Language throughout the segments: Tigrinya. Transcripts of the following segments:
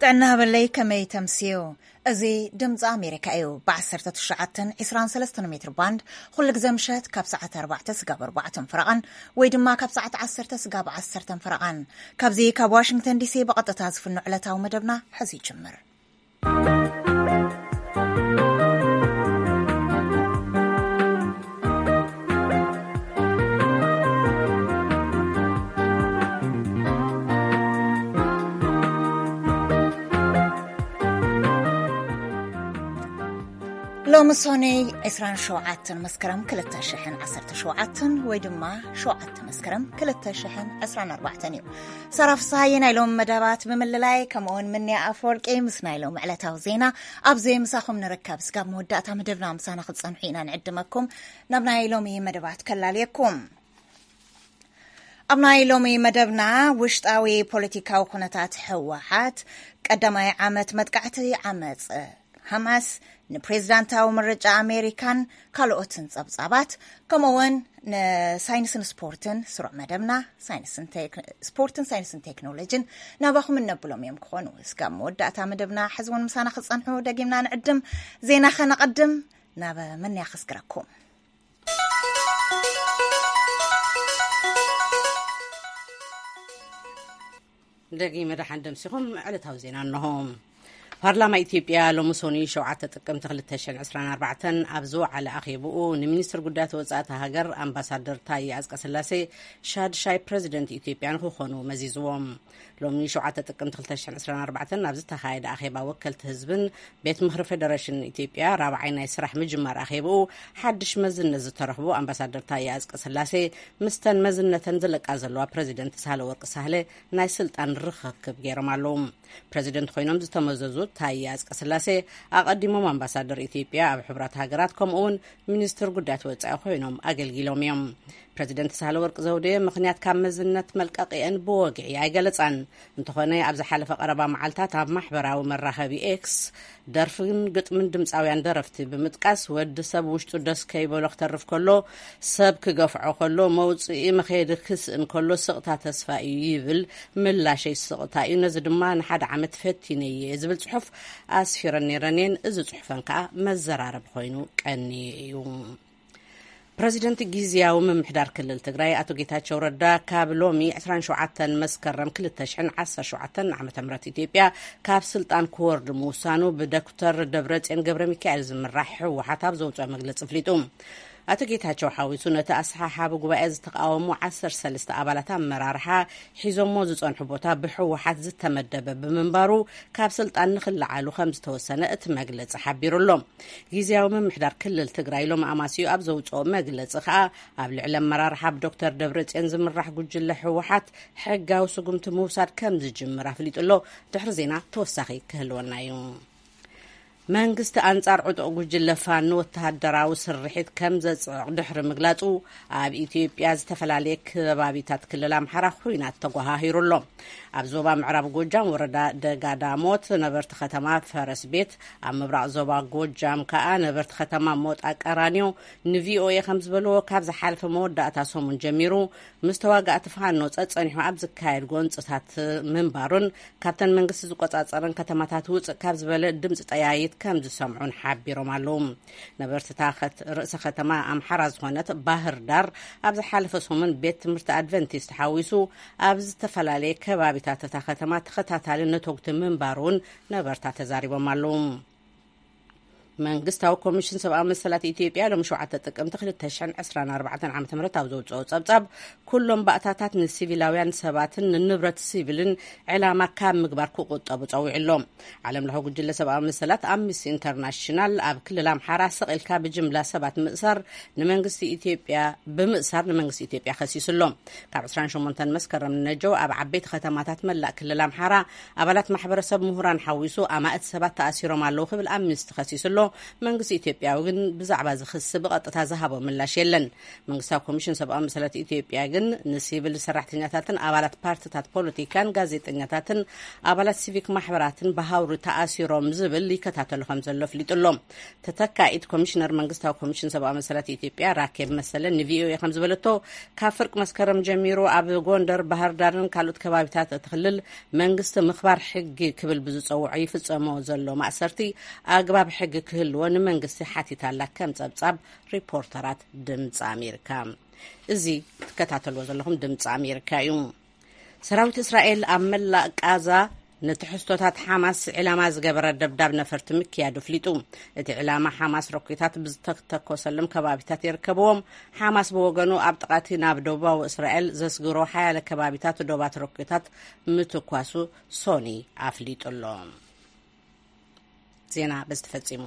ጥዕና ሃበለይ፣ ከመይ ተምስዩ? እዚ ድምፂ ኣሜሪካ እዩ። ብ19 23 ሜትር ባንድ ኩሉ ግዜ ምሸት ካብ ሰዓት ኣርባዕተ ስጋብ ኣርባዕተን ፍረቓን ወይ ድማ ካብ ሰዓት ዓሰርተ ስጋብ ዓሰርተን ፍረቓን። ካብዚ ካብ ዋሽንግተን ዲሲ ብቐጥታ ዝፍኖ ዕለታዊ መደብና ሕዚ ይጅምር። ሎሚ ሶነይ ዕስራን ሸውዓተን መስከረም ክልተ ሽሕን ዓሰርተ ሸውዓተን ወይ ድማ ሸውዓተ መስከረም ክልተ ሽሕን ዕስራን ኣርባዕተን እዩ። ሳራ ፍስሃየ ናይ ሎሚ መደባት ብምልላይ፣ ከምኡውን ምንያ ኣፈወርቂ ምስ ናይ ሎሚ ዕለታዊ ዜና ኣብዚ ምሳኹም ንርከብ። ስጋብ መወዳእታ መደብና ምሳና ክትጸንሑ ኢና ንዕድመኩም። ናብ ናይ ሎሚ መደባት ከላልየኩም። ኣብ ናይ ሎሚ መደብና፣ ውሽጣዊ ፖለቲካዊ ኩነታት ህወሓት፣ ቀዳማይ ዓመት መጥቃዕቲ ዓመፅ ሓማስ፣ ንፕሬዝዳንታዊ ምርጫ ኣሜሪካን ካልኦትን ጸብጻባት፣ ከምኡውን ንሳይንስን ስፖርትን ስሩዕ መደብና፣ ሳይንስን ቴክ-፣ ስፖርትን ሳይንስን ቴክኖሎጂን ናባኹም እነብሎም እዮም ክኾኑ። እስካብ መወዳእታ መደብና ሕዚ እውን ምሳና ክጸንሑ ደጊምና ንዕድም። ዜና ኸነቐድም፣ ናብ መንያ ከስግረኩም። ደጊመ ደሓን ደምሲኹም። ዕለታዊ ዜና እንሆ። ፓርላማ ኢትዮጵያ ሎሚ ሶኒ ሸውዓተ ጥቅምቲ ክልተ ሽሕን ዕስራን ኣርባዕተን ኣብ ዝወዓለ ኣኼብኡ፣ ንሚኒስትር ጉዳያት ወጻኢ እታ ሃገር ኣምባሳደር ታዬ ኣጽቀስላሴ ሻድሻይ ፕረዚደንት ኢትዮጵያ ንክኾኑ መዚዝዎም። ሎሚ ሸውዓተ ጥቅምቲ ክልተ ሽሕን ዕስራን ኣርባዕተን ኣብ ዝተኻየደ ኣኼባ ወከልቲ ህዝብን ቤት ምኽሪ ፌደሬሽን ኢትዮጵያ ራብዓይ ናይ ስራሕ ምጅማር ኣኼብኡ፣ ሓድሽ መዝነት ዝተረኽቡ ኣምባሳደር ታዬ ኣጽቀስላሴ ምስተን መዝነተን ዝለቃ ዘለዋ ፕረዚደንት ሳህለወርቅ ሳህለ ናይ ስልጣን ርኽክብ ገይሮም ኣለዉ። ፕረዚደንት ኮይኖም ዝተመዘዙ ታዬ ኣጽቀስላሴ፣ ኣቐዲሞም ኣምባሳደር ኢትዮጵያ ኣብ ሕቡራት ሃገራት፣ ከምኡውን ሚኒስትር ጉዳያት ወጻኢ ኮይኖም ኣገልጊሎም እዮም። ፕረዚደንት ሳህለወርቅ ዘውዴ፣ ምኽንያት ካብ መዝነት መልቀቂአን ብወግዒ ኣይገለጻን። እንተኾነ፣ ኣብ ዝሓለፈ ቀረባ መዓልታት ኣብ ማሕበራዊ መራኸቢ ኤክስ፣ ደርፍን ግጥምን ድምፃውያን ደረፍቲ ብምጥቃስ፣ "ወዲ ሰብ ውሽጡ ደስ ከይበሎ ክተርፍ ከሎ፣ ሰብ ክገፍዖ ከሎ፣ መውፅኢ መኸየዲ ክስእን ከሎ፣ ስቕታ ተስፋ እዩ" ይብል። "ምላሸይ ስቕታ እዩ፣ ነዚ ድማ ንሓደ ዓመት ፈቲነየ" ዝብል ፅሑፍ ኣስፊረን ነይረን እየን። እዚ ፅሑፈን ከዓ መዘራረቢ ኮይኑ ቀንዩ እዩ። ፕረዚደንት ግዝያዊ ምምሕዳር ክልል ትግራይ ኣቶ ጌታቸው ረዳ፣ ካብ ሎሚ ዕስራን ሸውዓተን መስከረም ክልተ ሽሕን ዓሰርተ ሸውዓተን ዓመተ ምህረት ኢትዮጵያ ካብ ስልጣን ክወርድ ምውሳኑ ብዶክተር ደብረጽዮን ገብረ ሚካኤል ዝምራሕ ህወሓት ኣብ ዘውፅኦ መግለፂ ኣፍሊጡ። ኣቶ ጌታቸው ሓዊሱ ነቲ ኣሰሓሓቢ ጉባኤ ዝተቃወሙ ዓሰርተ ሰለስተ ኣባላት ኣመራርሓ ሒዞሞ ዝጸንሑ ቦታ ብህወሓት ዝተመደበ ብምንባሩ፣ ካብ ስልጣን ንክለዓሉ ከም ዝተወሰነ እቲ መግለጺ ሓቢሩ ኣሎ። ግዝያዊ ምምሕዳር ክልል ትግራይ ሎሚ ኣማስዩ ኣብ ዘውጽኦ መግለጺ ከኣ፣ ኣብ ልዕሊ ኣመራርሓ ብዶክተር ደብረጽዮን ዝምራሕ ጉጅለ ህወሓት ሕጋዊ ስጉምቲ ምውሳድ ከም ዝጅምር ኣፍሊጡ ኣሎ። ድሕሪ ዜና ተወሳኺ ክህልወና እዩ። መንግስቲ ኣንጻር ዕጡቕ ጉጅለ ፋኖ ወተሃደራዊ ስርሒት ከም ዘጽዕቕ ድሕሪ ምግላጹ፣ ኣብ ኢትዮጵያ ዝተፈላለየ ከባቢታት ክልል ኣምሓራ ኹናት ተጓሃሂሩ ኣሎ። ኣብ ዞባ ምዕራብ ጎጃም ወረዳ ደጋዳሞት ነበርቲ ከተማ ፈረስ ቤት፣ ኣብ ምብራቕ ዞባ ጎጃም ከኣ ነበርቲ ከተማ ሞጣ ቀራኒዮ ንቪኦኤ ከም ዝበልዎ፣ ካብ ዝሓለፈ መወዳእታ ሰሙን ጀሚሩ ምስ ተዋጋእቲ ፋኖ ጸጸኒሑ ኣብ ዝካየድ ጎንጽታት ምንባሩን፣ ካብተን መንግስቲ ዝቆጻጸረን ከተማታት ውጽእ ካብ ዝበለ ድምፂ ጠያይት ከም ዝሰምዑን ሓቢሮም ኣለዉ። ነበርቲ እታ ከት-፣ ርእሰ ከተማ ኣምሓራ ዝኾነት ባህር ዳር፣ ኣብ ዝሓለፈ ሰሙን ቤት ትምህርቲ ኣድቨንቲስት ሓዊሱ ኣብ ዝተፈላለየ ከባቢታት እታ ከተማ ተኸታታሊ ነተጉቲ ምንባሩ እውን ነበርታ ተዛሪቦም ኣለዉ። መንግስታዊ ኮሚሽን ሰብኣዊ መሰላት ኢትዮጵያ ሎም ሸውዓተ ጥቅምቲ ክልተ ሽሕን ዕስራን ኣርባዕተን ዓመተ ምህረት ኣብ ዘውፅኦ ጸብጻብ፣ ኩሎም ባእታታት ንሲቪላውያን ሰባትን ንንብረት ሲቪልን ዕላማ ካብ ምግባር ክቁጠቡ ጸዊዑ ኣሎ። ዓለም ለኸ ጉጅለ ሰብኣዊ መሰላት ኣምነስቲ ኢንተርናሽናል፣ ኣብ ክልል ኣምሓራ ስቕ ኢልካ ብጅምላ ሰባት ምእሳር ንመንግስቲ ኢትዮጵያ፣ ብምእሳር ንመንግስቲ ኢትዮጵያ ከሲሱ ኣሎ። ካብ ዕስራን ሸሞንተን መስከረም ንነጀው ኣብ ዓበይቲ ከተማታት መላእ ክልል ኣምሓራ ኣባላት ማሕበረሰብ፣ ምሁራን ሓዊሱ ኣማእት ሰባት ተኣሲሮም ኣለዉ ክብል ኣምነስቲ ከሲሱ ኣሎ። መንግስቲ ኢትዮጵያ ግን ብዛዕባ እዚ ክሲ ብቐጥታ ዝሃቦ ምላሽ የለን። መንግስታዊ ኮሚሽን ሰብኣዊ መሰላት ኢትዮጵያ ግን ንሲቪል ሰራሕተኛታትን ኣባላት ፓርቲታት ፖለቲካን ጋዜጠኛታትን ኣባላት ሲቪክ ማሕበራትን ብሃውሪ ተኣሲሮም ዝብል ይከታተሉ ከም ዘሎ ኣፍሊጡ ኣሎ። ተተካኢት ኮሚሽነር መንግስታዊ ኮሚሽን ሰብኣዊ መሰላት ኢትዮጵያ ራኬብ መሰለ ንቪኦኤ ከም ዝበለቶ፣ ካብ ፍርቂ መስከረም ጀሚሩ ኣብ ጎንደር፣ ባህር ዳርን ካልኦት ከባቢታት እቲ ክልል መንግስቲ ምኽባር ሕጊ ክብል ብዝጸውዖ ይፍጸሞ ዘሎ ማእሰርቲ ኣግባብ ሕጊ ክህልዎ ንመንግስቲ ሓቲታላ ከም ጸብጻብ ሪፖርተራት ድምፂ ኣሜሪካ። እዚ ትከታተልዎ ዘለኹም ድምፂ ኣሜሪካ እዩ። ሰራዊት እስራኤል ኣብ መላእ ቃዛ ንትሕዝቶታት ሓማስ ዕላማ ዝገበረ ደብዳብ ነፈርቲ ምክያዱ ኣፍሊጡ። እቲ ዕላማ ሓማስ ሮኬታት ብዝተተኮሰሎም ከባቢታት ይርከብዎም። ሓማስ ብወገኑ ኣብ ጥቓቲ ናብ ደቡባዊ እስራኤል ዘስግሮ ሓያለ ከባቢታት ዶባት ሮኬታት ምትኳሱ ሶኒ ኣፍሊጡ ኣሎ። ዜና በዚ ተፈጺሙ።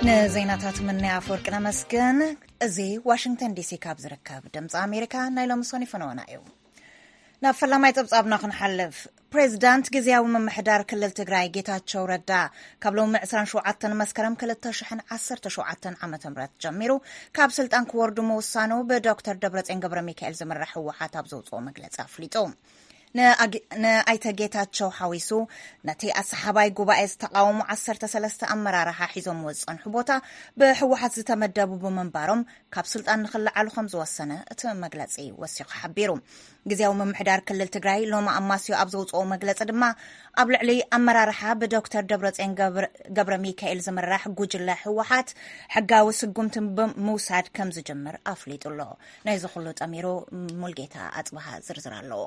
ንዜናታት ምንያ ኣፈወርቂ ነመስግን። እዚ ዋሽንግተን ዲሲ ካብ ዝርከብ ድምፂ ኣሜሪካ ናይ ሎሚ ሶኒ ፈነወና እዩ። ናብ ፈላማይ ጸብጻብና ክንሓልፍ፣ ፕሬዚዳንት ግዝያዊ ምምሕዳር ክልል ትግራይ ጌታቸው ረዳ ካብ ሎሚ ዕስራን ሸውዓተን መስከረም ክልተ ሽሕን ዓሰርተ ሸውዓተን ዓመተ ምህረት ጀሚሩ ካብ ስልጣን ክወርዱ ምውሳኑ ብዶክተር ደብረጽዮን ገብረ ሚካኤል ዝምራሕ ህወሓት ኣብ ዘውፅኦ መግለፂ ኣፍሊጡ። ንኣግ-፣ ንኣይተ ጌታቸው ሓዊሱ ነቲ ኣሰሓባይ ጉባኤ ዝተቃወሙ ዓሰርተ ሰለስተ ኣመራርሓ ሒዞምዎ ዝጸንሑ ቦታ ብህወሓት ዝተመደቡ ብምንባሮም ካብ ስልጣን ንኽለዓሉ ከም ዝወሰነ እቲ መግለጺ ወሲኹ ሓቢሩ። ግዝያዊ ምምሕዳር ክልል ትግራይ ሎሚ ኣማስዮ ኣብ ዘውፅኦ መግለፂ ድማ ኣብ ልዕሊ ኣመራርሓ ብዶክተር ደብረጽዮን ገብረ፣ ገብረ ሚካኤል ዝምራሕ ጉጅለ ህወሓት ሕጋዊ ስጉምቲ ብምውሳድ ከም ዝጅምር ኣፍሊጡ ኣሎ። ናይዚ ኩሉ ጠሚሩ ሙልጌታ ኣጽብሃ ዝርዝር ኣለዎ።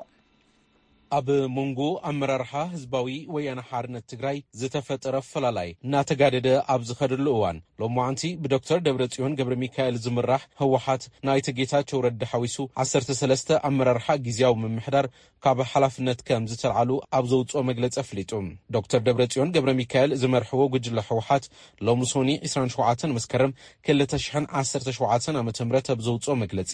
ኣብ መንጎ ኣመራርሓ ህዝባዊ ወያነ ሓርነት ትግራይ ዝተፈጠረ ፈላላይ እናተጋደደ ኣብ ዝኸደሉ እዋን፣ ሎማዓንቲ ብዶክተር ደብረጽዮን ገብረ ሚካኤል ዝምራሕ ህወሓት ናይተ ጌታቸው ረዳ ሓዊሱ ዓሰርተ ሰለስተ ኣመራርሓ ግዝያዊ ምምሕዳር ካብ ሓላፍነት ከም ዝተልዓሉ ኣብ ዘውፅኦ መግለፂ ኣፍሊጡ። ዶክተር ደብረጽዮን ገብረ ሚካኤል ዝመርሕዎ ጉጅለ ህወሓት ሎሚ ሶኒ ዕስራን ሸውዓተን መስከረም ክልተ ሽሕን ዓሰርተ ሸውዓተን ዓመተ ምህረት ኣብ ዘውፅኦ መግለፂ፣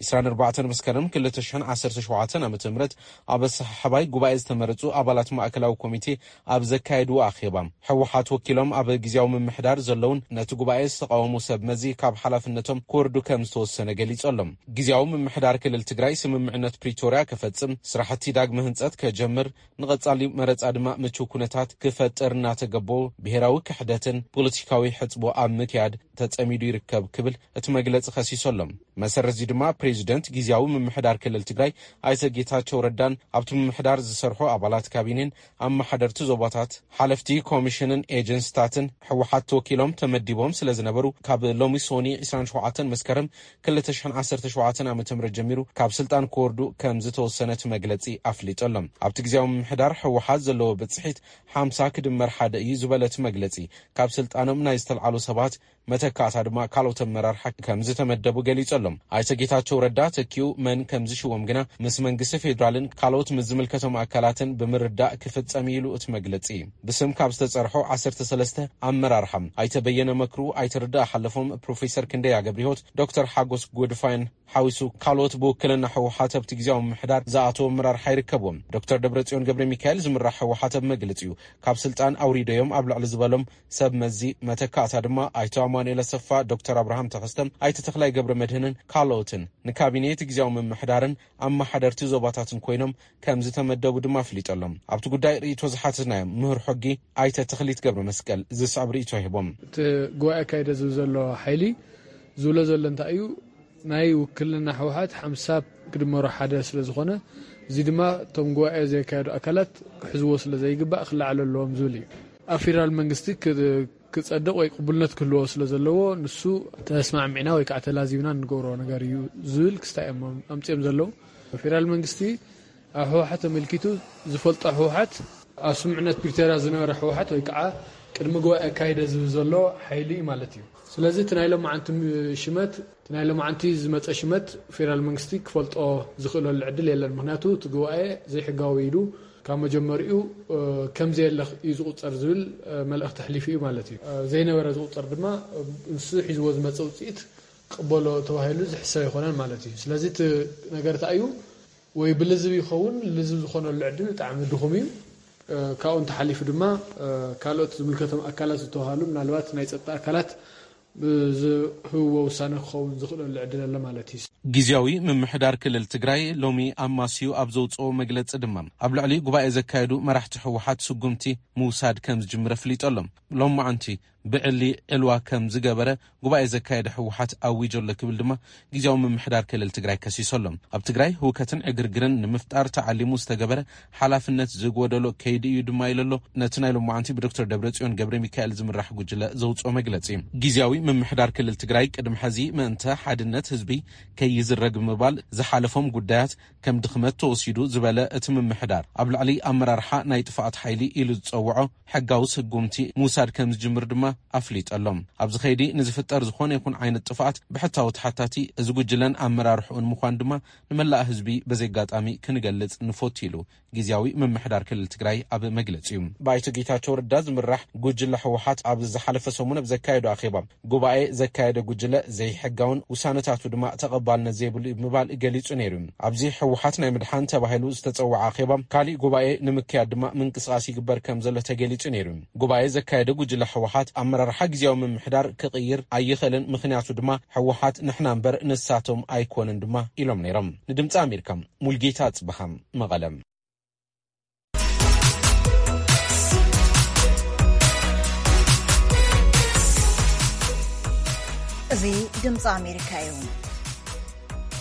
ዕስራን ኣርባዕተን መስከረም ክልተ ሽሕን ዓሰርተ ሸውዓተን ዓመተ ምህረት ኣብ ኣሰሓሓባይ ጉባኤ ዝተመረፁ ኣባላት ማእከላዊ ኮሚቴ ኣብ ዘካየድዎ ኣኼባ፣ ህወሓት ወኪሎም ኣብ ግዝያዊ ምምሕዳር ዘለውን ነቲ ጉባኤ ዝተቃወሙ ሰብ መዚ ካብ ሓላፍነቶም ክወርዱ ከም ዝተወሰነ ገሊጾሎም። ግዝያዊ ምምሕዳር ክልል ትግራይ ስምምዕነት ፕሪቶርያ ክፈጽም፣ ስራሕቲ ዳግመ ህንጸት ከጀምር፣ ንቐጻሊ መረጻ ድማ ምቹው ኩነታት ክፈጥር እናተገበኦ፣ ብሄራዊ ክሕደትን ፖለቲካዊ ሕጽቦ ኣብ ምክያድ ተጸሚዱ ይርከብ ክብል እቲ መግለጺ ከሲሶሎም። መሰረት እዚ ድማ ፕሬዚደንት ግዝያዊ ምምሕዳር ክልል ትግራይ ኣይተ ጌታቸው ረዳን ኣብቲ ምምሕዳር ዝሰርሑ ኣባላት ካቢኔን ኣመሓደርቲ ዞባታት፣ ሓለፍቲ ኮሚሽንን ኤጀንስታትን ህወሓት ተወኪሎም ተመዲቦም ስለ ዝነበሩ ካብ ሎሚ ሶኒ ዕስራን ሸውዓተን መስከረም ክልተ ሽሕን ዓሰርተ ሸውዓተን ዓመተ ምህረት ጀሚሩ ካብ ስልጣን ክወርዱ ከም ዝተወሰነ እቲ መግለጺ ኣፍሊጡ ኣሎ። ኣብቲ ግዝያዊ ምምሕዳር ህወሓት ዘለዎ ብጽሒት ሓምሳ ክድመር ሓደ እዩ ዝበለ እቲ መግለጺ፣ ካብ ስልጣኖም ናይ ዝተልዓሉ ሰባት መተካእታ ድማ ካልኦት ኣመራርሓ ከም ዝተመደቡ ገሊጹ ኣሎ። ኣይተ ጌታቸው ረዳ ተኪኡ መን ከም ዝሽወም ግና ምስ መንግስቲ ፌዴራልን ካልኦት ምስ ዝምልከቶም ኣካላትን ብምርዳእ ክፍጸም እዩ ኢሉ እቲ መግለጺ። ብስም ካብ ዝተጸርሑ ዓሰርተ ሰለስተ ኣመራርሓ ኣይተ በየነ መክሩ፣ ኣይተ ርዳእ ሓለፎም፣ ፕሮፌሰር ክንደያ ገብረሕይወት፣ ዶክተር ሓጎስ ጎድፋይን ሓዊሱ ካልኦት ብውክልና ህወሓት ኣብቲ ግዝያዊ ምምሕዳር ዝኣተዉ ኣመራርሓ ይርከብዎም። ዶክተር ደብረጽዮን ገብረ ሚካኤል ዝምራሕ ህወሓት ኣብ መግለጺኡ ካብ ስልጣን ኣውሪደዮም ኣብ ልዕሊ ዝበሎም ሰብ መዚ መተካእታ ድማ ኣይተ ኣማኑኤል ኣሰፋ፣ ዶክተር ኣብርሃም ተኸስተ፣ ኣይተ ተኽላይ ገብረ መድህንን ካልኦትን ንካቢኔ እቲ ግዝያዊ ምምሕዳርን ኣመሓደርቲ ዞባታትን ኮይኖም ከም ዝተመደቡ ድማ ኣፍሊጡ ኣሎ። ኣብቲ ጉዳይ ርእይቶ ዝሓተትናዮም ምሁር ሕጊ ኣይተ ተኽሊት ገብረ መስቀል ዝስዕብ ርእይቶ ሂቦም። እቲ ጉባኤ ኣካይደ ዝብል ዘሎ ሓይሊ ዝብሎ ዘሎ እንታይ እዩ? ናይ ውክልና ህወሓት ሓምሳ ክድመሮ ሓደ ስለ ዝኾነ፣ እዚ ድማ እቶም ጉባኤ ዘካየዱ ኣካላት ክሕዝዎ ስለ ዘይግባእ ክለዓሉ ኣለዎም ዝብል እዩ። ኣብ ፌደራል መንግስቲ ክ-፣ ክጸድቕ ወይ ቅቡልነት ክህልዎ ስለ ዘለዎ፣ ንሱ ተስማዕሚዕና ወይ ከዓ ተላዚብና እንገብሮ ነገር እዩ ዝብል ክስታይ እዮም ኣምጺኦም ዘለዉ። ፌደራል መንግስቲ ኣብ ህወሓት ተመልኪቱ ዝፈልጦ ህወሓት፣ ኣብ ስምምዕነት ፕሪቶርያ ዝነበረ ህወሓት ወይ ከዓ ቅድሚ ጉባኤ ኣካይደ ዝብል ዘሎ ሓይሊ እዩ ማለት እዩ። ስለዚ እቲ ናይ ሎማዓንቲ ሽመት፣ እቲ ናይ ሎማዓንቲ ዝመፀ ሽመት ፌደራል መንግስቲ ክፈልጦ ዝኽእለሉ ዕድል የለን። ምኽንያቱ እቲ ጉባኤ ዘይሕጋዊ ኢሉ ካብ መጀመሪኡ፣ እ፣ ከም ዘየለ እዩ ዝቑፀር ዝብል፣ እ፣ መልእኽቲ ኣሕሊፉ እዩ ማለት እዩ። እ፣ ዘይነበረ ዝቑፀር ድማ፣ እ፣ ንሱ ሒዝዎ ዝመፀ ውፅኢት ክቕበሎ ተባሂሉ ዝሕሰብ ኣይኮነን ማለት እዩ። ስለዚ እቲ ነገር እንታይ እዩ? ወይ ብልዝብ ይኸውን፣ ልዝብ ዝኾነሉ ዕድል ብጣዕሚ ድኹም እዩ። እ፣ ካብኡ እንተሓሊፉ ድማ፣ እ፣ ካልኦት ዝምልከቶም ኣካላት ዝተባሃሉ፣ ምናልባት ናይ ጸጥታ ኣካላት ብዝህብዎ ውሳነ ክኸውን ዝኽእለሉ ዕድል ኣሎ ማለት እዩ። ግዝያዊ ምምሕዳር ክልል ትግራይ ሎሚ ኣማስዩ ኣብ ዘውፅኦ መግለፂ ድማ፣ ኣብ ልዕሊ ጉባኤ ዘካየዱ መራሕቲ ህወሓት ስጉምቲ ምውሳድ ከም ዝጅምር ኣፍሊጡ ኣሎ። ሎማዓንቲ ብዕሊ ዕልዋ ከም ዝገበረ ጉባኤ ዘካየደ ህወሓት ኣዊጆ ኣሎ ክብል ድማ ግዝያዊ ምምሕዳር ክልል ትግራይ ከሲሱ ኣሎ። ኣብ ትግራይ ህውከትን ዕግርግርን ንምፍጣር ተዓሊሙ ዝተገበረ ሓላፍነት ዝጎደሎ ከይዲ እዩ ድማ ኢሉ ኣሎ። ነቲ ናይ ሎማዓንቲ ብዶክተር ደብረጽዮን ገብረ ሚካኤል ዝምራሕ ጉጅለ ዘውፅኦ መግለፂ፣ ግዝያዊ ምምሕዳር ክልል ትግራይ ቅድሚ ሕዚ ምእንተ ሓድነት ህዝቢ ከይዝረግ ብምባል ዝሓለፎም ጉዳያት ከም ድኽመት ተወሲዱ ዝበለ እቲ ምምሕዳር፣ ኣብ ልዕሊ ኣመራርሓ ናይ ጥፍኣት ሓይሊ ኢሉ ዝፀውዖ ሕጋዊ ስጉምቲ ምውሳድ ከም ዝጅምር ድማ ኣፍሊጡ ኣሎ። ኣብዚ ከይዲ ንዝፍጠር ዝኾነ ይኹን ዓይነት ጥፍኣት ብሕታዊ ተሓታቲ እዚ ጉጅለን ኣመራርሕኡን ምዃን ድማ ንመላእ ህዝቢ በዚ ኣጋጣሚ ክንገልጽ ንፈቱ ኢሉ ግዝያዊ ምምሕዳር ክልል ትግራይ ኣብ መግለጺኡ። ብኣይተ ጌታቸው ረዳ ዝምራሕ ጉጅለ ህወሓት ኣብ ዝሓለፈ ሰሙን ኣብ ዘካየዶ ኣኼባ፣ ጉባኤ ዘካየደ ጉጅለ ዘይሕጋውን ውሳነታቱ ድማ ተቐባልነት ዘይብሉ እዩ ብምባል ገሊጹ ነይሩ። ኣብዚ ህወሓት ናይ ምድሓን ተባሂሉ ዝተጸውዐ ኣኼባ፣ ካሊእ ጉባኤ ንምክያድ ድማ ምንቅስቓስ ይግበር ከም ዘሎ ተገሊጹ ነይሩ። ጉባኤ ዘካየደ ጉጅለ ህወሓት ኣመራርሓ ግዝያዊ ምምሕዳር ክቕይር ኣይኽእልን፣ ምኽንያቱ ድማ ህወሓት ንሕና እምበር ንሳቶም ኣይኮነን ድማ ኢሎም ነይሮም። ንድምፂ ኣሜሪካ ሙልጌታ ጽበሃ፣ መቐለ። እዚ ድምፂ ኣሜሪካ እዩ።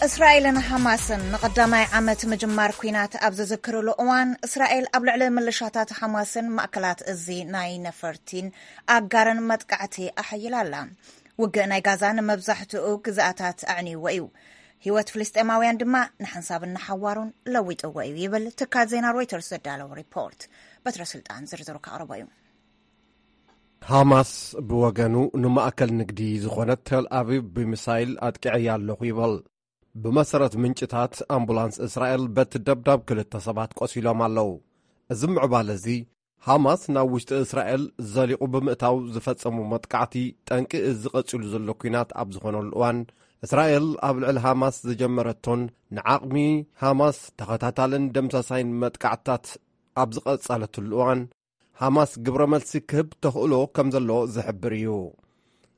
እስራኤልን ሓማስን ንቐዳማይ ዓመት ምጅማር ኲናት ኣብ ዝዝክርሉ እዋን፣ እስራኤል ኣብ ልዕሊ ምልሻታት ሓማስን ማእከላት እዚ ናይ ነፈርቲን ኣጋርን መጥቃዕቲ ኣሐይላ ኣላ። ውግእ ናይ ጋዛ ንመብዛሕትኡ ግዝኣታት ኣዕንይዎ እዩ። ህይወት ፍልስጤማውያን ድማ ንሓንሳብን ንሓዋሩን ለዊጥዎ እዩ ይብል ትካል ዜና ሮይተርስ ዘዳለዎ ሪፖርት። በትረ ስልጣን ዝርዝሩ ከቕርቦ እዩ። ሃማስ ብወገኑ ንማእከል ንግዲ ዝኾነት ቴል ኣቪቭ ብሚሳይል ኣጥቂዐያ ኣለኹ ይብል። ብመሰረት ምንጭታት፣ ኣምቡላንስ እስራኤል በቲ ደብዳብ ክልተ ሰባት ቆሲሎም ኣለዉ። እዚ ምዕባለ እዚ፣ ሃማስ ናብ ውሽጢ እስራኤል ዘሊቑ ብምእታው ዝፈጸሙ መጥቃዕቲ፣ ጠንቂ እዚ ቀጺሉ ዘሎ ኲናት ኣብ ዝኾነሉ እዋን፣ እስራኤል ኣብ ልዕሊ ሃማስ ዝጀመረቶን ንዓቕሚ ሃማስ ተኸታታልን ደምሳሳይን መጥቃዕትታት ኣብ ዝቐጸለትሉ እዋን፣ ሃማስ ግብረ መልሲ ክህብ ተኽእሎ ከም ዘለዎ ዝሕብር እዩ።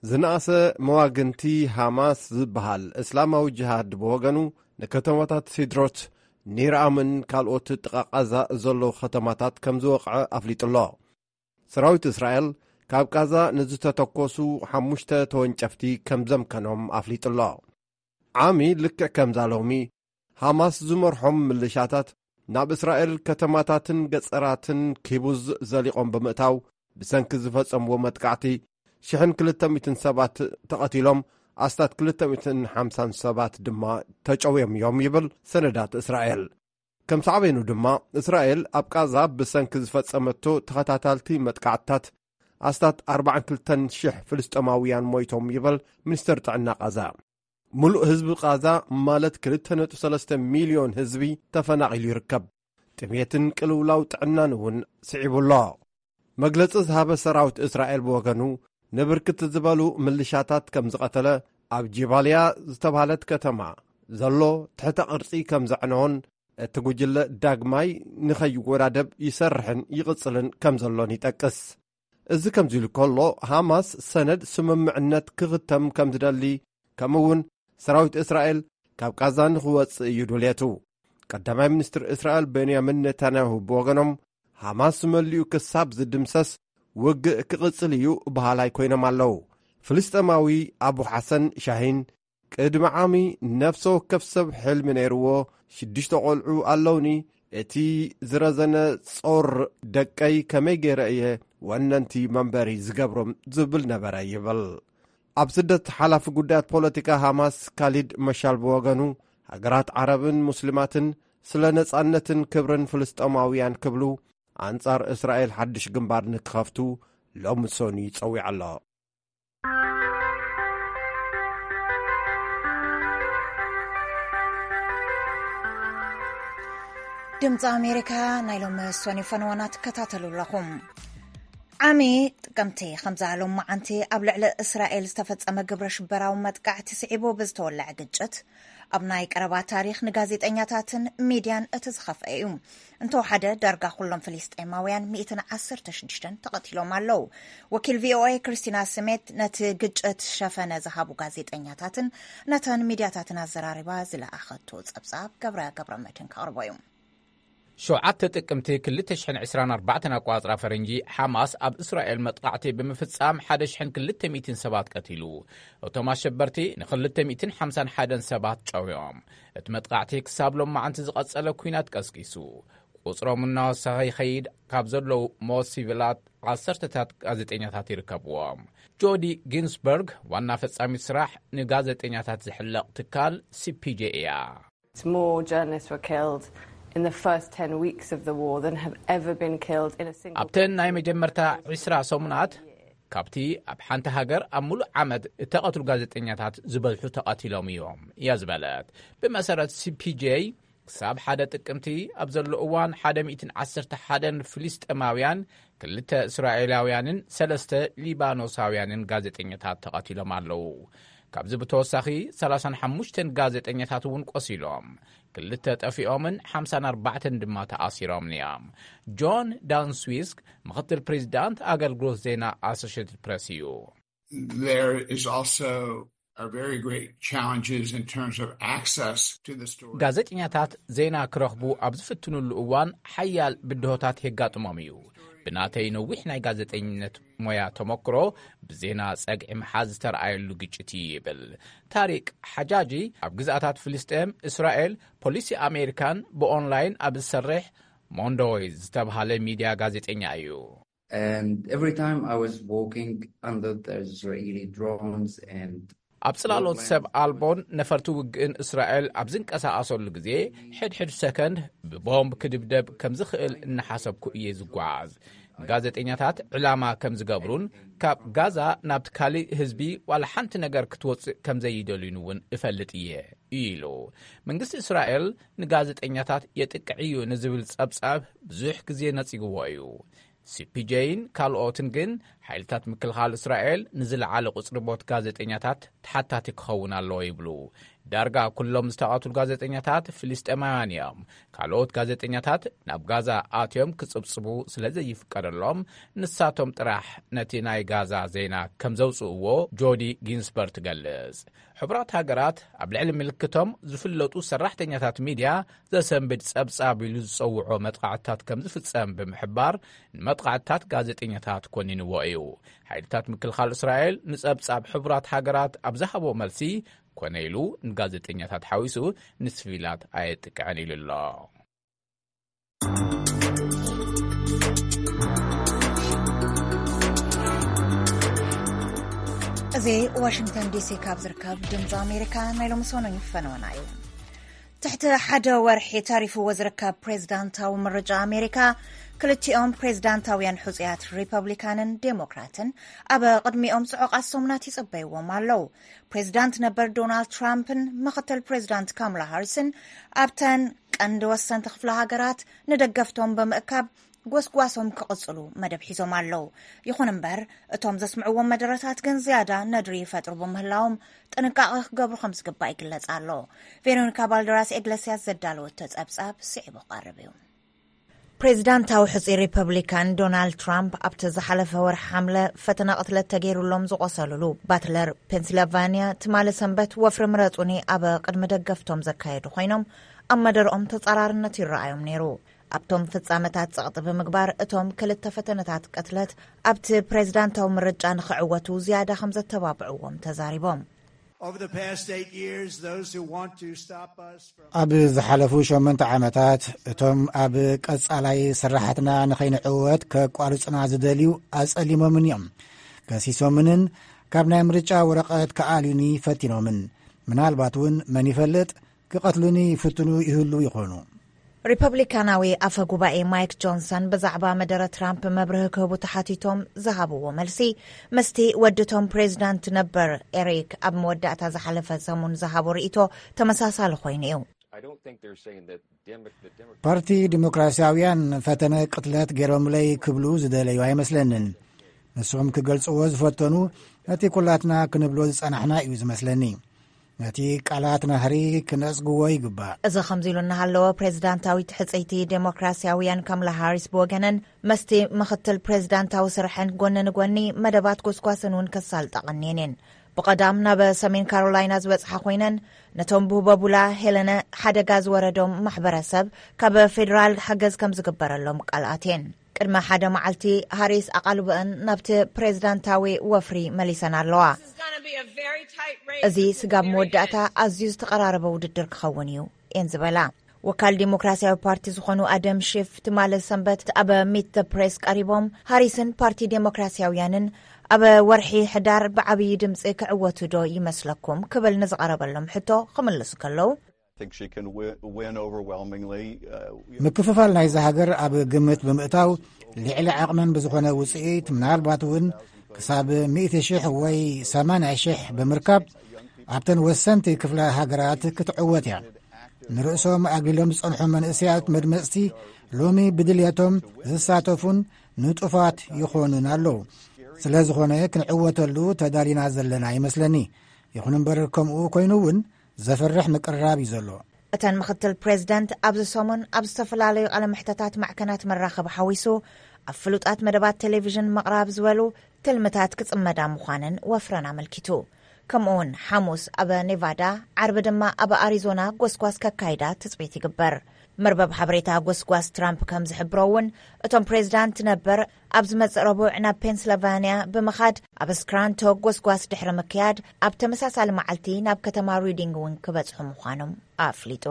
ዝነኣሰ መዋግንቲ ሃማስ ዝበሃል እስላማዊ ጅሃድ ብወገኑ፣ ንከተማታት ሲድሮት፣ ኒርኣምን ካልኦት ጥቓ ቃዛ ዘለዉ ከተማታት ከም ዝወቕዐ ኣፍሊጡ ኣሎ። ሰራዊት እስራኤል ካብ ቃዛ ንዝተተኮሱ ሓሙሽተ ተወንጨፍቲ ከም ዘምከኖም ኣፍሊጡ ኣሎ። ዓሚ ልክዕ ከምዛ ሎሚ፣ ሃማስ ዝመርሖም ምልሻታት ናብ እስራኤል ከተማታትን ገጸራትን ኪቡዝ ዘሊቖም ብምእታው፣ ብሰንኪ ዝፈጸምዎ መጥቃዕቲ ሽሕን ክልተ ሚእትን ሰባት ተቐቲሎም፣ ኣስታት ክልተ ሚእትን ሓምሳን ሰባት ድማ ተጨውዮም እዮም ይብል ሰነዳት እስራኤል። ከም ሳዕቤኑ ድማ፣ እስራኤል ኣብ ቃዛ ብሰንኪ ዝፈጸመቶ ተኸታታልቲ መጥቃዕትታት ኣስታት ኣርባዓን ክልተን ሽሕ ፍልስጤማውያን ሞይቶም ይብል ሚኒስተር ጥዕና ቃዛ። ምሉእ ህዝቢ ቃዛ፣ ማለት ክልተ ነጥቢ ሰለስተ ሚልዮን ህዝቢ፣ ተፈናቒሉ ይርከብ። ጥሜትን ቅልውላው ጥዕናን እውን ስዒቡ ኣሎ። መግለጺ ዝሃበ ሰራዊት እስራኤል ብወገኑ፣ ንብርክት ዝበሉ ምልሻታት ከም ዝቐተለ፣ ኣብ ጂባልያ ዝተባህለት ከተማ ዘሎ ትሕተ ቅርጺ ከም ዘዕነዎን፣ እቲ ጉጅለ ዳግማይ ንኸይወዳደብ ይሰርሕን ይቕጽልን ከም ዘሎን ይጠቅስ። እዚ ከምዚ ኢሉ ከሎ፣ ሃማስ ሰነድ ስምምዕነት ክኽተም ከም ዝደሊ፣ ከምኡ እውን ሰራዊት እስራኤል ካብ ቃዛ ንኽወጽእ እዩ ድልየቱ። ቀዳማይ ሚኒስትር እስራኤል ቤንያሚን ኔታንያሁ ብወገኖም፣ ሃማስ መሊኡ ክሳብ ዝድምሰስ ውግእ ክቕጽል እዩ በሃላይ ኮይኖም ኣለዉ። ፍልስጤማዊ ኣቡ ሓሰን ሻሂን፣ ቅድሚ ዓሚ ነፍሰ ወከፍ ሰብ ሕልሚ ነይርዎ፣ ሽዱሽተ ቆልዑ ኣለውኒ፣ እቲ ዝረዘነ ጾር ደቀይ ከመይ ገይረ እየ ወነንቲ መንበሪ ዝገብሮም ዝብል ነበረ ይብል። ኣብ ስደት ሓላፊ ጉዳያት ፖለቲካ ሃማስ ካሊድ መሻል ብወገኑ፣ ሃገራት ዓረብን ሙስሊማትን ስለ ነጻነትን ክብርን ፍልስጤማውያን ክብሉ ኣንጻር እስራኤል ሓድሽ ግንባር ንክኸፍቱ ሎሚ ሰኑይ ጸዊዑ ኣሎ። ድምፂ ኣሜሪካ ናይ ሎሚ ሰኑይ ፈነወና ትከታተሉ ኣለኹም። ዓሚ ጥቅምቲ ከምዛ ሎማዓንቲ ኣብ ልዕሊ እስራኤል ዝተፈጸመ ግብረ ሽበራዊ መጥቃዕቲ ስዒቡ ብዝተወለዐ ግጭት፣ ኣብ ናይ ቀረባ ታሪኽ ንጋዜጠኛታትን ሚድያን እቲ ዝኸፍአ እዩ። እንተወሓደ ዳርጋ ኩሎም ፍልስጤማውያን ሚእትን ዓሰርተ ሽዱሽተን ተቐቲሎም ኣለዉ። ወኪል ቪ ኦ ኤ ክርስቲና ስሜት ነቲ ግጭት ሸፈነ ዝሃቡ ጋዜጠኛታትን ነተን ሚድያታትን ኣዘራሪባ ዝለኣኸቶ ጸብጻብ ገብረ ገብረ መድህን ከቕርቦ እዩ። ሸውዓተ ጥቅምቲ ክልተ ሽሕን ዕስራን ኣርባዕተን ኣቋጽራ ፈረንጂ፣ ሓማስ ኣብ እስራኤል መጥቃዕቲ ብምፍጻም ሓደ ሽሕን ክልተ ሚእትን ሰባት ቀቲሉ። እቶም ኣሸበርቲ ንክልተ ሚእትን ሓምሳን ሓደን ሰባት ጨውዮም። እቲ መጥቃዕቲ ክሳብ ሎማዓንቲ ዝቐጸለ ኲናት ቀስቂሱ። ቁጽሮም እናወሰኸ ይኸይድ ካብ ዘለዉ ሞት ሲቪላት ዓሰርተታት ጋዜጠኛታት ይርከብዎም። ጆዲ ጊንስበርግ፣ ዋና ፈጻሚት ስራሕ ንጋዜጠኛታት ዝሕለቕ ትካል ሲ ፒ ጄ እያ። More journalists were killed in the first ten weeks of the war than have ever been killed in a single ኣብተን ናይ መጀመርታ ዕስራ ሰሙናት፣ ካብቲ ኣብ ሓንቲ ሃገር ኣብ ሙሉእ ዓመት እተቐትሉ ጋዜጠኛታት ዝበዝሑ ተቐቲሎም እዮም እያ ዝበለት። ብመሰረት ሲ ፒ ጄ፣ ክሳብ ሓደ ጥቅምቲ ኣብ ዘሎ እዋን ሓደ ሚእትን ዓሰርተ ሓደን ፍልስጤማውያን፣ ክልተ እስራኤላውያንን ሰለስተ ሊባኖሳውያንን ጋዜጠኛታት ተቐቲሎም ኣለዉ። ካብዚ ብተወሳኺ ሰላሳን ሓሙሽተን ጋዜጠኛታት እውን ቆሲሎም፣ ክልተ ጠፊኦምን ሓምሳን ኣርባዕተን ድማ ተኣሲሮምን እዮም። ጆን ዳንስዊስክ፣ ምኽትል ፕሬዚዳንት ኣገልግሎት ዜና ኣሶሽትድ ፕሬስ እዩ። There is also are very great challenges in terms of access to the story. ጋዜጠኛታት ዜና ክረኽቡ ኣብ ዝፍትኑሉ እዋን ሓያል ብድሆታት የጋጥሞም እዩ። ብናተይ ነዊሕ ናይ ጋዜጠኝነት ሞያ ተመክሮ፣ ብዜና ጸግዒ ምሓዝ ዝተረኣየሉ ግጭት እዩ ይብል ታሪቅ ሓጃጂ። ኣብ ግዝኣታት ፍልስጤም፣ እስራኤል፣ ፖሊሲ ኣሜሪካን ብኦንላይን ኣብ ዝሰርሕ ሞንዶይ ዝተብሃለ ሚድያ ጋዜጠኛ እዩ። And every time I was walking under the Israeli drones and ኣብ ጽላሎት ሰብ ኣልቦን ነፈርቲ ውግእን እስራኤል ኣብ ዝንቀሳቐሰሉ ግዜ፣ ሕድሕድ ሰከንድ ብቦምብ ክድብደብ ከም ዝኽእል እናሓሰብኩ እየ ዝጓዓዝ። ንጋዜጠኛታት ዕላማ ከም ዝገብሩን ካብ ጋዛ ናብቲ ካልእ ህዝቢ ዋላ ሓንቲ ነገር ክትወጽእ ከም ዘይደልዩን እውን እፈልጥ እየ ኢሉ። መንግስቲ እስራኤል ንጋዜጠኛታት የጥቅዕ እዩ ንዝብል ጸብጻብ ብዙሕ ግዜ ነጺግዎ እዩ። ሲ ፒ ጄን ካልኦትን ግን፣ ሓይልታት ምክልኻል እስራኤል ንዝለዓለ ቁጽሪ ሞት ጋዜጠኛታት ተሓታቲ ክኸውን ኣለዎ ይብሉ። ዳርጋ ኩሎም ዝተቐትሉ ጋዜጠኛታት ፍልስጤማውያን እዮም። ካልኦት ጋዜጠኛታት ናብ ጋዛ ኣትዮም ክጽብጽቡ ስለ ዘይፍቀደሎም፣ ንሳቶም ጥራሕ ነቲ ናይ ጋዛ ዜና ከም ዘውጽእዎ ጆዲ ጊንስበርግ ትገልጽ። ሕቡራት ሃገራት ኣብ ልዕሊ ምልክቶም ዝፍለጡ ሰራሕተኛታት ሚድያ ዘሰንብድ ጸብጻብ ኢሉ ዝጸውዖ መጥቃዕትታት ከም ዝፍጸም ብምሕባር፣ ንመጥቃዕትታት ጋዜጠኛታት ኮኒንዎ እዩ። ሓይልታት ምክልኻል እስራኤል ንጸብጻብ ሕቡራት ሃገራት ኣብ ዝሃቦ መልሲ፣ ኮነ ኢሉ ንጋዜጠኛታት ሓዊሱ ንስቪላት ኣየጥቅዕን ኢሉ ኣሎ። እዚ ዋሽንግተን ዲሲ ካብ ዝርከብ ድምፂ ኣሜሪካ ናይ ሎሚ ሰኑን ፈነወና እዩ። ትሕቲ ሓደ ወርሒ ተሪፍዎ ዝርከብ ፕሬዝዳንታዊ ምርጫ ኣሜሪካ፣ ክልቲኦም ፕሬዝዳንታውያን ሕፁያት ሪፐብሊካንን ዴሞክራትን ኣብ ቅድሚኦም ጽዑቓት ሰሙናት ይጽበይዎም ኣለዉ። ፕሬዝዳንት ነበር ዶናልድ ትራምፕን ምኽትል ፕሬዝዳንት ካምላ ሃሪስን ኣብተን ቀንዲ ወሰንቲ ክፍለ ሃገራት ንደገፍቶም ብምእካብ ጎስጓሶም ክቕጽሉ መደብ ሒዞም ኣለዉ። ይኹን እምበር፣ እቶም ዘስምዕዎም መደረታት ግን ዝያዳ ነድሪ ይፈጥሩ ብምህላዎም ጥንቃቐ ክገብሩ ከም ዝግባእ ይግለጽ ኣሎ። ቬሮኒካ ባልደራስ ኤግለስያስ ዘዳለወቶ ጸብጻብ ስዒቡ ክቐርብ እዩ። ፕሬዚዳንታዊ ሕጹይ ሪፐብሊካን ዶናልድ ትራምፕ ኣብቲ ዝሓለፈ ወርሒ ሓምለ ፈተነ ቅትለት ተገይሩሎም ዝቖሰሉሉ ባትለር ፔንሲልቫኒያ ትማሊ ሰንበት ወፍሪ ምረጹኒ ኣብ ቅድሚ ደገፍቶም ዘካየዱ ኮይኖም፣ ኣብ መደርኦም ተጻራርነት ይረኣዮም ነይሩ። ኣብቶም ፍጻመታት ጸቕጢ ብምግባር እቶም ክልተ ፈተነታት ቅትለት ኣብቲ ፕሬዚዳንታዊ ምርጫ ንኽዕወቱ ዝያዳ ከም ዘተባብዕዎም ተዛሪቦም። Over the past eight years, those who want to stop us from ኣብ ዝሓለፉ ሸመንተ ዓመታት እቶም ኣብ ቀጻላይ ስራሓትና ንኸይንዕወት ከቋርጹና ዝደልዩ ኣጸሊሞምን እዮም። ከሲሶምንን ካብ ናይ ምርጫ ወረቐት ክኣልዩኒ ፈቲኖምን፣ ምናልባት እውን መን ይፈልጥ ክቐትሉኒ ይፍትኑ ይህሉ ይኾኑ። ሪፐብሊካናዊ ኣፈ ጉባኤ ማይክ ጆንሰን ብዛዕባ መደረ ትራምፕ መብርሂ ክህቡ ተሓቲቶም ዝሃብዎ መልሲ፣ ምስቲ ወዲ ቶም ፕሬዚዳንት ነበር ኤሪክ ኣብ መወዳእታ ዝሓለፈ ሰሙን ዝሃቦ ርእይቶ ተመሳሳሊ ኮይኑ እዩ። ፓርቲ ዲሞክራሲያውያን ፈተነ ቅትለት ገይሮምለይ ክብሉ ዝደለዩ ኣይመስለንን። ንስኹም ክገልጽዎ ዝፈተኑ፣ ነቲ ኩላትና ክንብሎ ዝጸናሕና እዩ ዝመስለኒ። ነቲ ቃላት ናህሪ ክነጽግዎ ይግባእ። እዚ ከምዚ ኢሉ እናሃለወ፣ ፕሬዚዳንታዊት ሕጽይቲ ዴሞክራሲያውያን ካምላ ሃሪስ ብወገነን፣ መስቲ ምኽትል ፕሬዚዳንታዊ ስርሐን ጎኒ ንጎኒ መደባት ጎስጓስን እውን ከሳልጣ ቀንየን እየን። ብቐዳም ናብ ሰሜን ካሮላይና ዝበጽሓ ኮይነን፣ ነቶም ብህቦቡላ ሄለነ ሓደጋ ዝወረዶም ማሕበረሰብ ካብ ፌዴራል ሓገዝ ከም ዝግበረሎም ቃል ኣትየን። ቅድሚ ሓደ መዓልቲ፣ ሃሪስ ኣቓልቦአን ናብቲ ፕሬዚዳንታዊ ወፍሪ መሊሰን ኣለዋ። እዚ ስጋብ መወዳእታ ኣዝዩ ዝተቐራረበ ውድድር ክኸውን እዩ እየን ዝበላ። ወካል ዴሞክራሲያዊ ፓርቲ ዝኾኑ ኣደም ሺፍ ትማሊ ሰንበት ኣብ ሚት ዘ ፕሬስ ቀሪቦም፣ ሃሪስን ፓርቲ ዴሞክራሲያውያንን ኣብ ወርሒ ሕዳር ብዓብዪ ድምፂ ክዕወቱ ዶ ይመስለኩም ክብል ንዝቐረበሎም ሕቶ ክምልሱ ከለዉ፣ I think she can wi- win overwhelmingly. Uh, you know, ምክፍፋል ናይዛ ሃገር ኣብ ግምት ብምእታው፣ ልዕሊ ዓቕመን ብዝኾነ ውፅኢት፣ ምናልባት እውን ክሳብ ሚእቲ ሽሕ ወይ ሰማንያ ሽሕ ብምርካብ፣ ኣብተን ወሰንቲ ክፍለ ሃገራት ክትዕወት እያ። ንርእሶም ኣግሊሎም ዝጸንሑ መንእሰያት መድመጽቲ፣ ሎሚ ብድልየቶም ዝሳተፉን ንጡፋት ይኾኑን ኣለዉ። ስለ ዝኾነ፣ ክንዕወተሉ ተዳሊና ዘለና ይመስለኒ። ይኹን እምበር፣ ከምኡ ኮይኑ እውን ዘፍርሕ ምቅርራብ እዩ ዘሎ። እተን ምኽትል ፕሬዚደንት ኣብዚ ሰሙን ኣብ ዝተፈላለዩ ቃለ መሕተታት ማዕከናት መራኸቢ ሓዊሱ ኣብ ፍሉጣት መደባት ቴሌቪዥን ምቕራብ ዝበሉ ትልምታት ክጽመዳ ምዃነን ወፍረን ኣመልኪቱ። ከምኡውን ሓሙስ ኣብ ኔቫዳ፣ ዓርቢ ድማ ኣብ ኣሪዞና ጎስጓስ ከካይዳ ትጽቢት ይግበር። መርበብ ሓበሬታ ጎስጓስ ትራምፕ ከም ዝሕብሮ እውን፣ እቶም ፕሬዚዳንት ነበር ኣብ ዝመጽእ ረቡዕ ናብ ፔንስልቫንያ ብምኻድ፣ ኣብ ስክራንቶ ጎስጓስ ድሕሪ ምክያድ፣ ኣብ ተመሳሳሊ መዓልቲ ናብ ከተማ ሪዲንግ እውን ክበጽሑ ምዃኖም ኣፍሊጡ።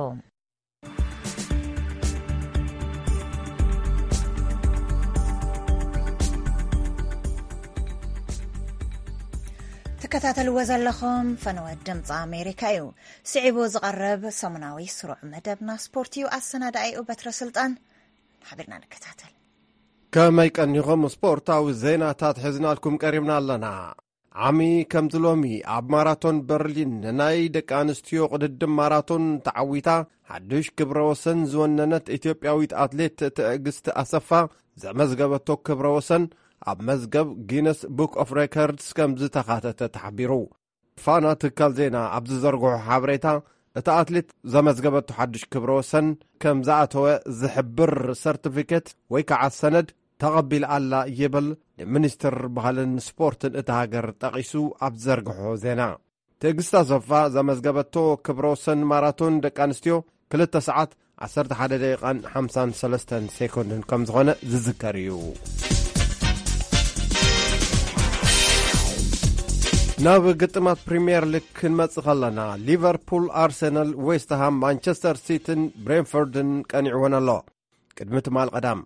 ትከታተልዎ ዘለኹም ፈነወ ድምፂ ኣሜሪካ እዩ። ስዒቡ ዝቐርብ ሰሙናዊ ስሩዕ መደብና ስፖርት እዩ። ኣሰናዳኢኡ በትረ ስልጣን። ሓቢርና ንከታተል። ከመይ ቀኒኹም? ስፖርታዊ ዜናታት ሒዝናልኩም ቀሪብና ኣለና። ዓሚ ከምዚ ሎሚ ኣብ ማራቶን በርሊን ንናይ ደቂ ኣንስትዮ ቅድድም ማራቶን ተዓዊታ ሓዱሽ ክብረ ወሰን ዝወነነት ኢትዮጵያዊት ኣትሌት ትዕግስቲ ኣሰፋ ዘመዝገበቶ ክብረ ወሰን ኣብ መዝገብ ጊነስ ቡክ ኦፍ ሬከርድስ ከም ዝተኻተተ ተሓቢሩ። ፋና ትካል ዜና ኣብ ዝዘርግሖ ሓበሬታ፣ እታ ኣትሌት ዘመዝገበቶ ሓዱሽ ክብረ ወሰን ከም ዝኣተወ ዝሕብር ሰርቲፊኬት ወይ ከዓ ሰነድ ተቐቢላ ኣላ ይብል ንሚኒስትር ባህልን ስፖርትን እታ ሃገር ጠቒሱ ኣብ ዝዘርግሖ ዜና። ትዕግስቲ ኣሰፋ ዘመዝገበቶ ክብረ ወሰን ማራቶን ደቂ ኣንስትዮ ክልተ ሰዓት ዓሰርተ ሓደ ደቂቓን ሓምሳን ሰለስተን ሴኮንድን ከም ዝኾነ ዝዝከር እዩ። ናብ ግጥማት ፕሪምየር ሊግ ክንመጽእ ከለና፣ ሊቨርፑል፣ ኣርሰናል፣ ዌስትሃም፣ ማንቸስተር ሲቲን ብሬንፎርድን ቀኒዕወን ኣሎ። ቅድሚ ትማል ቀዳም፣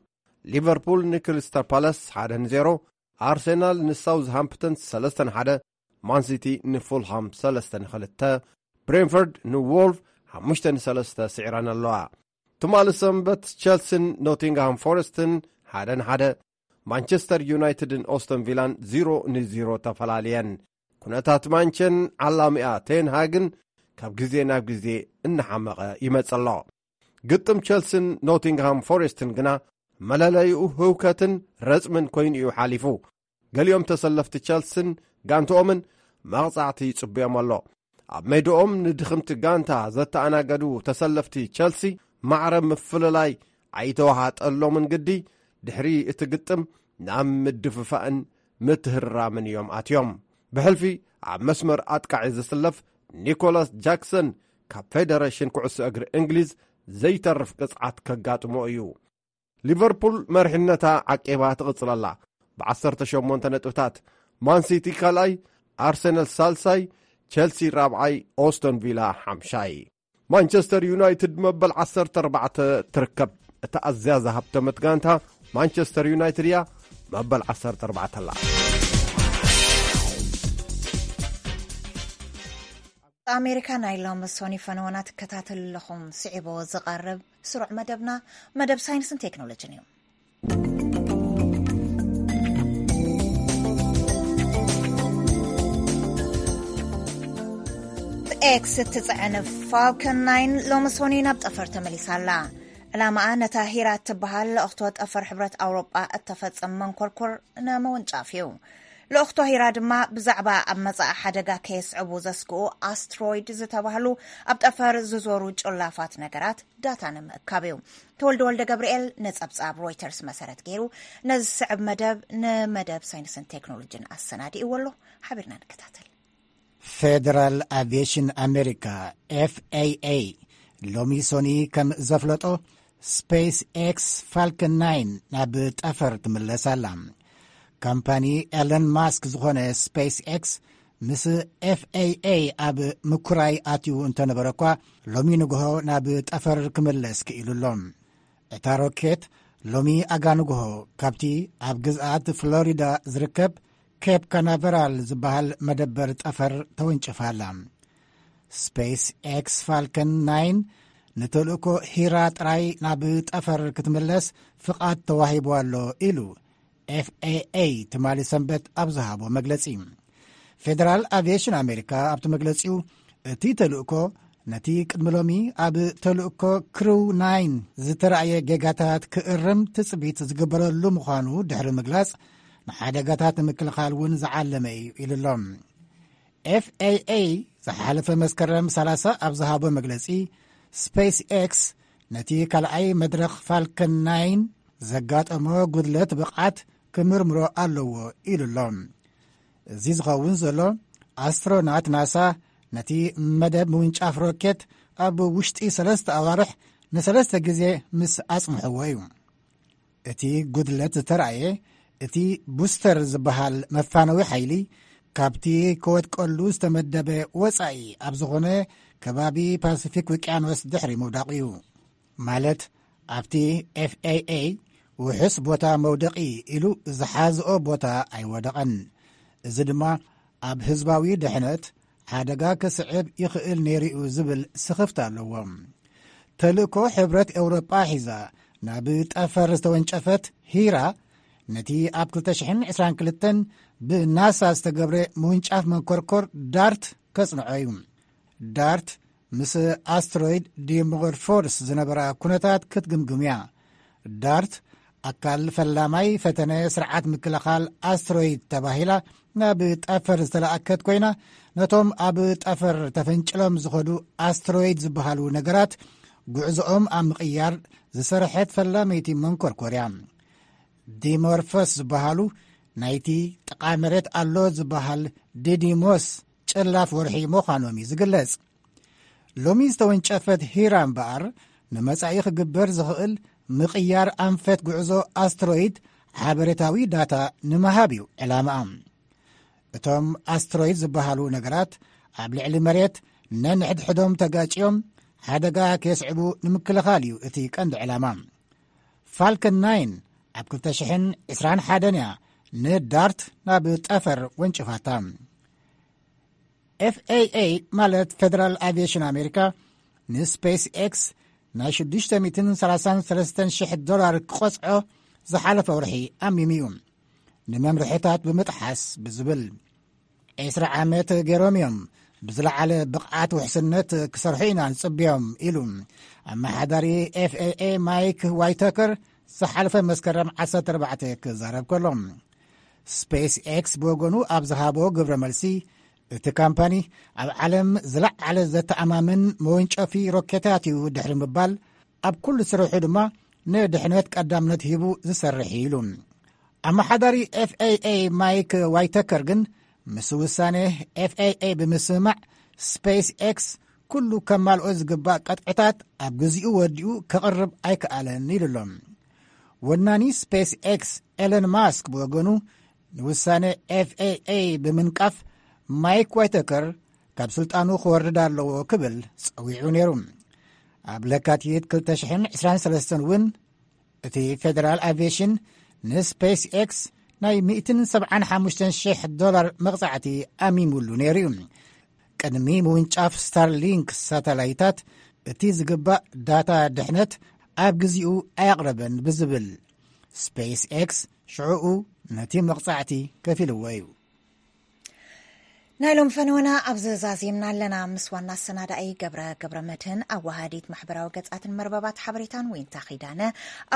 ሊቨርፑል ንክሪስታል ፓላስ ሓደ ንዜሮ፣ ኣርሰናል ንሳውዝሃምፕተን ሰለስተ ንሓደ፣ ማንሲቲ ንፉልሃም ሰለስተ ንክልተ፣ ብሬንፎርድ ንዎልፍ ሓሙሽተ ንሰለስተ ስዒረን ኣለዋ። ትማሊ ሰንበት፣ ቸልሲን ኖቲንግሃም ፎረስትን ሓደ ንሓደ፣ ማንቸስተር ዩናይትድን ኦስተን ቪላን ዜሮ ንዜሮ ተፈላልየን። ኩነታት ማንቸን ዓላሚኣ ቴን ሃግን ካብ ግዜ ናብ ግዜ እናሓመቐ ይመጽእ ኣሎ። ግጥም ቸልሲን ኖቲንግሃም ፎሬስትን ግና መለለይኡ ህውከትን ረጽምን ኮይኑ እዩ ሓሊፉ። ገሊኦም ተሰለፍቲ ቸልሲን ጋንትኦምን መቕጻዕቲ ይጽበዮም ኣሎ። ኣብ ሜድኦም ንድኽምቲ ጋንታ ዘተኣናገዱ ተሰለፍቲ ቸልሲ ማዕረ ምፍልላይ ኣይተዋሃጠሎምን ግዲ ድሕሪ እቲ ግጥም ናብ ምድፍፋእን ምትህርራምን እዮም ኣትዮም። ብሕልፊ ኣብ መስመር ኣጥቃዒ ዝስለፍ ኒኮላስ ጃክሰን ካብ ፌደሬሽን ኩዕሶ እግሪ እንግሊዝ ዘይተርፍ ቅጽዓት ከጋጥሞ እዩ። ሊቨርፑል መሪሕነታ ዓቂባ ትቕጽል ኣላ ብዓሰርተ ሸሞንተ ነጥብታት። ማንሲቲ ካልኣይ፣ ኣርሰናል ሳልሳይ፣ ቸልሲ ራብዓይ፣ ኦስቶን ቪላ ሓምሻይ። ማንቸስተር ዩናይትድ መበል ዓሰርተ ኣርባዕተ ትርከብ። እታ ኣዝያ ዝሃብተመት ጋንታ ማንቸስተር ዩናይትድ እያ፣ መበል ዓሰርተ ኣርባዕተ ኣላ። ኣሜሪካ ናይ ሎሚ ሶኒ ፈነወና ትከታተሉ ኣለኹም። ስዒቡ ዝቐርብ ስሩዕ መደብና፣ መደብ ሳይንስን ቴክኖሎጂን እዩ። ኤክስ እትጽዕን ፋልከን ናይን ሎሚ ሶኒ ናብ ጠፈር ተመሊሳ ኣላ። ዕላማኣ ነታ ሂራ እትበሃል ልእኽቶ ጠፈር ሕብረት ኣውሮጳ እተፈጸመ መንኮርኮር ንምውንጫፍ እዩ። ልእኽቶ ሂራ ድማ ብዛዕባ ኣብ መጻኢ ሓደጋ ከየስዕቡ ዘስግኡ ኣስትሮይድ ዝተባህሉ ኣብ ጠፈር ዝዞሩ ጭላፋት ነገራት ዳታ ንምእካብ እዩ። ተወልደ ወልደ ገብርኤል ንጸብጻብ ሮይተርስ መሰረት ገይሩ ነዚ ዝስዕብ መደብ ንመደብ ሳይንስን ቴክኖሎጂን ኣሰናዲእዎ ኣሎ። ሓቢርና ንከታተል። ፌደራል ኣቪዬሽን ኣሜሪካ፣ ኤፍኤኤ፣ ሎሚ ሶኒ ከም ዘፍለጦ፣ ስፔስ ኤክስ ፋልከን ናይን ናብ ጠፈር ትምለስ ኣላ። ካምፓኒ ኤለን ማስክ ዝኾነ ስፔስ ኤክስ ምስ ኤፍኤኤ ኣብ ምኩራይ ኣትዩ እንተነበረ እኳ፣ ሎሚ ንግሆ ናብ ጠፈር ክምለስ ክኢሉ ኣሎ። እታ ሮኬት ሎሚ ኣጋ ንግሆ ካብቲ ኣብ ግዝኣት ፍሎሪዳ ዝርከብ ኬፕ ካናቨራል ዝበሃል መደበር ጠፈር ተወንጭፋ ኣላ። ስፔስ ኤክስ ፋልከን ናይን ንተልእኮ ሂራ ጥራይ ናብ ጠፈር ክትምለስ ፍቓድ ተዋሂቡ ኣሎ ኢሉ ኤፍኤኤ ትማሊ ሰንበት ኣብ ዝሃቦ መግለጺ። ፌደራል ኣቪዬሽን ኣሜሪካ ኣብቲ መግለጺኡ፣ እቲ ተልእኮ ነቲ ቅድሚ ሎሚ ኣብ ተልእኮ ክሩው ናይን ዝተራእየ ጌጋታት ክእርም ትጽቢት ዝግበረሉ ምዃኑ ድሕሪ ምግላጽ፣ ንሓደጋታት ንምክልኻል እውን ዝዓለመ እዩ ኢሉ ኣሎ። ኤፍኤኤ ዝሓለፈ መስከረም ሰላሳ ኣብ ዝሃቦ መግለጺ፣ ስፔስ ኤክስ ነቲ ካልኣይ መድረኽ ፋልከን ናይን ዘጋጠሞ ጉድለት ብቕዓት ክምርምሮ ኣለዎ ኢሉ ኣሎ። እዚ ዝኸውን ዘሎ፣ ኣስትሮናት ናሳ ነቲ መደብ ምውንጫፍ ሮኬት ኣብ ውሽጢ ሰለስተ ኣዋርሕ ንሰለስተ ግዜ ምስ ኣጽንሕዎ እዩ። እቲ ጉድለት ዝተራእየ፣ እቲ ቡስተር ዝበሃል መፋነዊ ሓይሊ ካብቲ ክወድቀሉ ዝተመደበ ወጻኢ ኣብ ዝኾነ ከባቢ ፓሲፊክ ውቅያኖስ ድሕሪ ምውዳቑ እዩ። ማለት፣ ኣብቲ ኤፍኤኤ ውሑስ ቦታ መውደቒ ኢሉ ዝሓዝኦ ቦታ ኣይወደቐን። እዚ ድማ ኣብ ህዝባዊ ድሕነት ሓደጋ ክስዕብ ይኽእል ነይሩ እዩ ዝብል ስኽፍታ ኣለዎ። ተልእኮ ሕብረት ኤውሮጳ ሒዛ ናብ ጠፈር ዝተወንጨፈት ሂራ፣ ነቲ ኣብ ክልተ ሽሕን ዕስራን ክልተን ብናሳ ዝተገብረ ምውንጫፍ መንኮርኮር ዳርት ከጽንዖ እዩ። ዳርት ምስ ኣስትሮይድ ዲሞርፎስ ዝነበራ ኩነታት ክትግምግም እያ። ዳርት ኣካል ፈላማይ ፈተነ ስርዓት ምክልኻል ኣስትሮይድ ተባሂላ ናብ ጠፈር ዝተለኣከት ኮይና፣ ነቶም ኣብ ጠፈር ተፈንጭሎም ዝኸዱ ኣስትሮይድ ዝበሃሉ ነገራት ጉዕዞኦም ኣብ ምቕያር ዝሰርሐት ፈላመይቲ መንኮርኮር እያ። ዲሞርፎስ ዝበሃሉ ናይቲ ጥቓ መሬት ኣሎ ዝበሃል ዲዲሞስ ጭላፍ ወርሒ ምዃኖም እዩ ዝግለጽ። ሎሚ ዝተወንጨፈት ሂራ እምበኣር፣ ንመጻኢ ክግበር ዝኽእል ምቕያር ኣንፈት ጉዕዞ ኣስትሮይድ ሓበሬታዊ ዳታ ንምሃብ እዩ ዕላማኣ። እቶም ኣስትሮይድ ዝበሃሉ ነገራት ኣብ ልዕሊ መሬት ነንሕድሕዶም ተጋጭዮም ሓደጋ ከየስዕቡ ንምክልኻል እዩ እቲ ቀንዲ ዕላማ። ፋልከን ናይን ኣብ ክልተ ሽሕን ዕስራን ሓደን እያ ንዳርት ናብ ጠፈር ወንጭፋታ። ኤፍኤኤ ማለት ፌደራል ኣቪዬሽን ኣሜሪካ ንስፔስ ኤክስ ናይ ሽዱሽተ ሚእትን ሰላሳን ሰለስተን ሽሕ ዶላር ክቐጽዖ ዝሓለፈ ወርሒ ኣሚሙ እዩ። ንመምርሕታት ብምጥሓስ ብዝብል ዕስራ ዓመት ገይሮም እዮም ብዝለዓለ ብቕዓት ውሕስነት ክሰርሑ ኢና ንጽብዮም ኢሉ ኣመሓዳሪ ኤፍኤኤ ማይክ ዋይተከር ዝሓለፈ መስከረም ዓሰርተ ኣርባዕተ ክዛረብ ከሎ። ስፔስ ኤክስ ብወገኑ ኣብ ዝሃቦ ግብረ መልሲ፣ እቲ ካምፓኒ ኣብ ዓለም ዝለዓለ ዘተኣማምን መወንጨፊ ሮኬታት እዩ ድሕሪ ምባል፣ ኣብ ኩሉ ስርሑ ድማ ንድሕነት ቀዳምነት ሂቡ ዝሰርሕ እዩ ኢሉ። ኣመሓዳሪ ኤፍኤኤ ማይክ ዋይተከር ግን፣ ምስ ውሳኔ ኤፍኤኤ ብምስምማዕ፣ ስፔስ ኤክስ ኩሉ ከማልኦ ዝግባእ ቀጥዕታት ኣብ ግዚኡ ወዲኡ ከቕርብ ኣይከኣለን ኢሉ ኣሎ። ወናኒ ስፔስ ኤክስ ኤለን ማስክ ብወገኑ፣ ንውሳነ ኤፍኤኤ ብምንቃፍ፣ ማይክ ዋይተከር ካብ ስልጣኑ ክወርድ ኣለዎ ክብል ጸዊዑ ነይሩ። ኣብ ለካቲት ክልተ ሽሕን ዕስራን ሰለስተን እውን፣ እቲ ፌደራል ኣቪዬሽን ንስፔስ ኤክስ ናይ ሚእትን ሰብዓን ሓሙሽተን ሽሕ ዶላር መቕጻዕቲ ኣሚሙሉ ነይሩ እዩ። ቅድሚ ምውንጫፍ ስታርሊንክ ሳተላይታት፣ እቲ ዝግባእ ዳታ ድሕነት ኣብ ግዚኡ ኣየቕረበን ብዝብል፣ ስፔስ ኤክስ ሽዕኡ ነቲ መቕጻዕቲ ከፊልዎ እዩ። ናይ ሎም ፈነወና ኣብዚ ዛዚምና ኣለና። ምስ ዋና ኣሰናዳኢ ገብረ ገብረ መድህን፣ ኣዋሃዲት ማሕበራዊ ገጻትን መርበባት ሓበሬታን ዊንታ ኺዳነ፣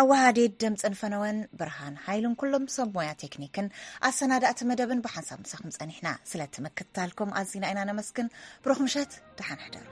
ኣዋሃዲት ድምጽን ፈነወን ብርሃን ሓይሉን ኩሎም ሰብ ሞያ ቴክኒክን ኣሰናዳእቲ መደብን ብሓንሳብ ምሳኹም ጸኒሕና። ስለቲ ምክትታልኩም ኣዚና ኢና ነመስግን። ብሩኽ ምሸት፣ ደሓን ሕደሩ።